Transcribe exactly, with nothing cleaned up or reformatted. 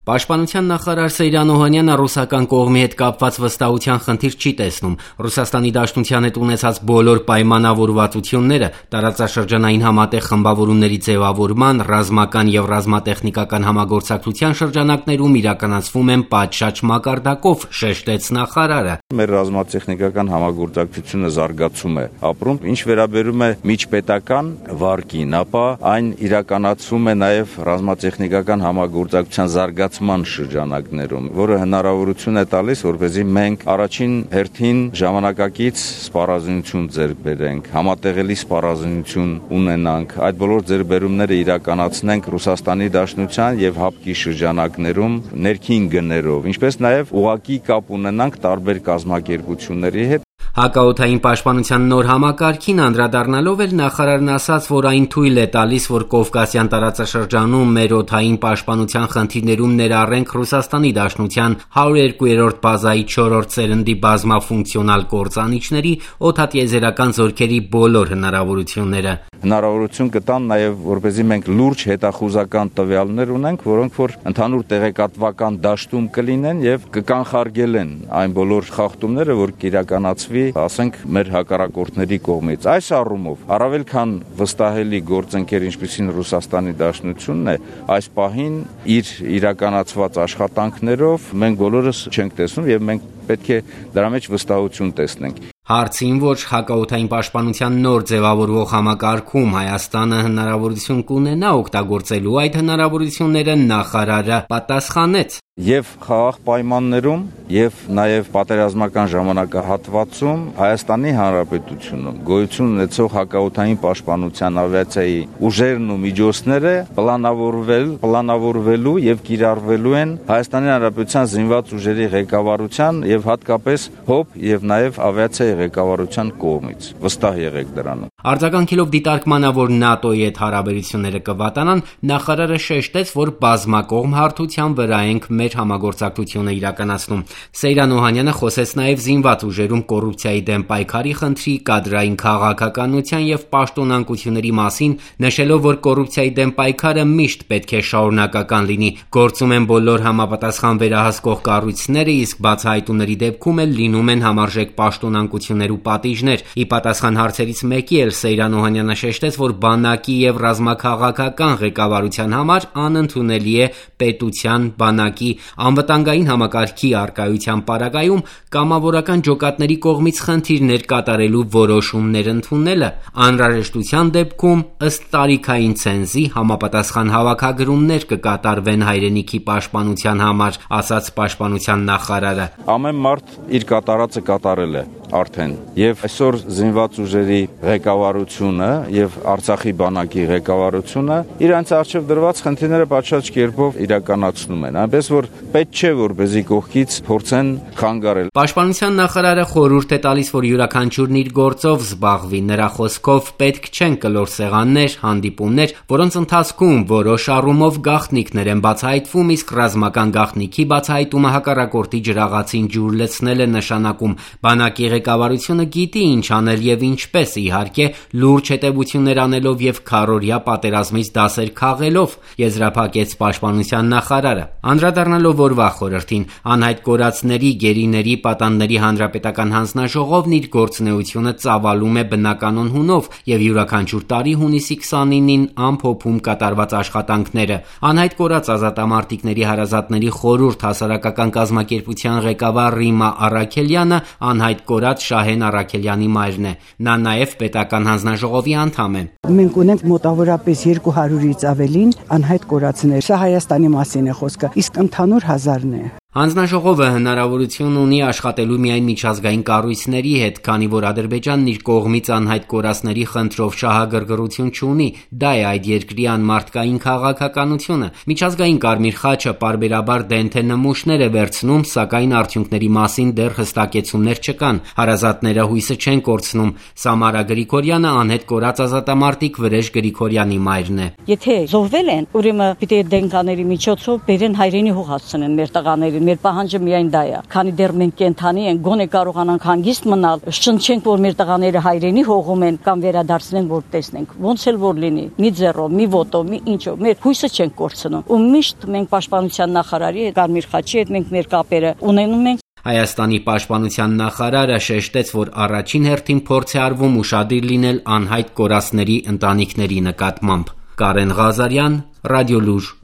Պաշտպանության նախարար Սեյրան Օհանյանը ռուսական կողմի հետ կապված վստահության խնդիր չի տեսնում։ Ռուսաստանի Դաշնության հետ ունեցած բոլոր պայմանավորվածությունները տարածաշրջանային համատեղ խմբավորումների ձևավորման, ռազմական եւ ռազմատեխնիկական համագործակցության շրջանակներում իրականացվում են պատշաճ մակարդակով, շեշտեց նախարարը։ Մեր ռազմատեխնիկական համագործակցությունը զարգացում է ապրում, ինչ վերաբերում է միջպետական վարկին, ապա այն իրականացվում է նաեւ ռազմատեխնիկական համագործակցության զարգացման շրջանակներում, որը հնարավորություն է տալիս, որպեսզի մենք առաջին հերթին ժամանակակից սպառազինություն ձեռք բերենք, համատեղելի սպառազինություն ունենանք, այդ բոլոր ձեռքբերումները իրականացնենք Ռուսաստանի Դաշնության եւ ՀԱՊԿ-ի շրջանակներում ներքին գներով, ինչպես նաեւ ուղղակի կապ ունենանք տարբեր կազմակերպությունների հետ։ Հակաօդային պաշտպանության նոր համակարգին անդրադառնալով էլ նախարարն ասաց, որ այն թույլ է տալիս, որ Կովկասյան տարածաշրջանում մեր օդային պաշտպանության խնդիրներում ներառենք Ռուսաստանի Դաշնության հարյուր երկու բազայի չորրորդ սերնդի բազմաֆունկցիոնալ կործանիչների օդատիեզերական զորքերի բոլոր հնարավորությունները։ Հնարավորություն կտան նաև, որպեսզի մենք լուրջ հետախուզական տվյալներ ունենք, որոնք որ ընդհանուր տեղեկատվական դաշտում կլինեն եւ կկանխարգելեն այն բոլոր խախտումները, որ կիրականացվի, ասենք, մեր հակառակորդների կողմից։ Այս առումով առավել քան վստահելի գործընկեր, ինչպիսին Ռուսաստանի Դաշնությունն է, այս պահին իր իրականացված աշխատանքներով մենք բոլորս չենք տեսնում եւ մենք պետք է դրա մեջ վստահություն տեսնենք։ Հարցին, որ հակաօդային պաշտպանության նոր ձևավորվող համակարգում Հայաստանը հնարավորություն կունենա օգտագործելու այդ հնարավորությունները, նախարարը պատասխանեց. Եվ խաղաղ պայմաններում, եւ նաեւ պատերազմական ժամանակահատվածում Հայաստանի Հանրապետությունում գոյություն ունեցող հակաօդային պաշտպանության ավիացիայի ուժերն ու միջոցները պլանավորվել, պլանավորվելու եւ կիրառվելու են Հայաստանի Հանրապետության զինված ուժերի ղեկավարության եւ հատկապես ՀՕՊ եւ նաեւ ավիացիայի ղեկավարության կողմից։ Վստահ եղեք դրանով։ Արձագանքելով դիտարկմանը, որ ՆԱՏՕ-ի հետ հարաբերությունները կվատանան, նախարարը շեշտեց, որ բազմակողմ հարթության վրա ենք մեր համագործակցությունը իրականացնում։ Սեյրան Օհանյանը խոսեց նաև զինված ուժերում կոռուպցիայի դեմ պայքարի խնդրի, կադրային քաղաքականության եւ պաշտոնանկությունների մասին, նշելով, որ կոռուպցիայի դեմ պայքարը միշտ պետք է շարունակական լինի։ Գործում են բոլոր համապատասխան վերահսկող կառույցները, իսկ բացահայտումների դեպքում էլ լինում են համարժեք պաշտոնանկություններ ու պատիժներ։ Ի պատասխան հարցերից մեկի էլ Սեյրան Օհանյանը շեշտեց, որ բանակի եւ ռազմաքաղաքական ղեկավարության համար անընդունելի է պետության, բանակի, անվտանգային համակարգի առկայության պարագայում կամավորական ջոկատների կողմից խնդիրներ կատարելու որոշումներ ընդունելը, անհրաժեշտության դեպքում ըստ տարիքային ցենզի համապատասխան հավաքագրումներ կկատարվեն հայրենիքի պաշտպանության համար, ասաց պաշտպանության նախարարը։ Ամեն մարդ իր կատարածը կատարել է արդեն եւ այսօր զինված ուժերի ղեկավարությունը եւ Արցախի բանակի ղեկավարությունը իրանց արժեվ դրված խնդիրները պատշաճ կերպով իրականացնում են, այնպես որ պետք չէ որպեսզի կողքից փորձեն խանգարել։ Պաշտպանության նախարարը խորհուրդ է տալիս, որ յուրաքանչյուրն իր գործով զբաղվի, նրա խոսքով պետք չեն կլոր սեղաններ, հանդիպումներ, որոնց ընթացքում որոշ առումով գաղտնիքներ են բացահայտվում, իսկ ռազմական գաղտնիքի բացահայտումը հակառակորդի ջրաղացին ջուր լցնել է նշանակում։ Բանակի ղեկավարությունը գիտի ինչ անել եւ ինչպես, իհարկե, լուրջ հետևություններ անելով եւ քառօրյա պատերազմից դասեր քաղելով, եզրափակեց պաշտպանության նախարարը։ Անդրադառնալով օրվա խորհրդին, անհայտ կորածների, գերիների, պատանդների հանրապետական հանձնաժողովն իր գործունեությունը ծավալում է բնականon հունով եւ յուրաքանչյուր տարի հունիսի քսանինին ամփոփում կատարված աշխատանքները։ Անհայտ կորած ազատամարտիկների հարազատների խորհուրդ հասարակական կազմակերպության ղեկավար Ռիմա Առաքելյանը անհայտ կորած Շահեն Առաքելյանի մայրն է։ Նա նաև պետական հանձնաժողովի անդամ է։ Մենք ունենք մոտավորապես երկու հարյուրից ավելին անհայտ կորածներ։ Սա Հայաստանի մասին է խոսքը, իսկ ընդհանուր հազարն է։ Հանձնաժողովը հնարավորություն ունի աշխատելու միայն միջազգային կառույցների հետ, քանի որ Ադրբեջանն իր կողմից անհայտ կորածների խնդրով շահագրգռություն չունի, դա է այդ երկրի անմարդկային քաղաքականությունը։ Միջազգային Կարմիր խաչը պարբերաբար դենթե նմուշներ է վերցնում, սակայն արդյունքների մասին դեռ հստակեցումներ չկան։ Հարազատները հույսը չեն կորցնում։ Սամարա Գրիգորյանը անհետ կորած ազատամարտիկ Վրեժ Գրիգորյանի մայրն է։ Եթե զոհվել են, ուրեմն պիտի դենկաների միջոցով բերեն հայրենի հող հասցնեն մեր տղաներին, մեր պահանջը միայն դա է։ Քանի դեռ մենք կենթանի ենք, գոնե կարողանանք հանգիստ մնալ, շնչենք, որ մեր տղաները հայրենի հողում են կամ վերադարձնենք, որ տեսնենք։ Ոնց էլ որ լինի, մի ձեռով, մի ոտով, մի ինչով, մեր հույսը չենք կորցնում։ Ու միշտ մենք պաշտպանության նախարարի հետ, Կարմիր խաչի հետ մենք մեր կապերը ունենում ենք։ Հայաստանի պաշտպանության նախարարը շեշտեց, որ առաջին հերթին փորձ է արվում ուշադիր լինել անհայտ կորածների ընտանիքների նկատմամբ։ Կարեն Ղազարյան, Ռադիոլուր։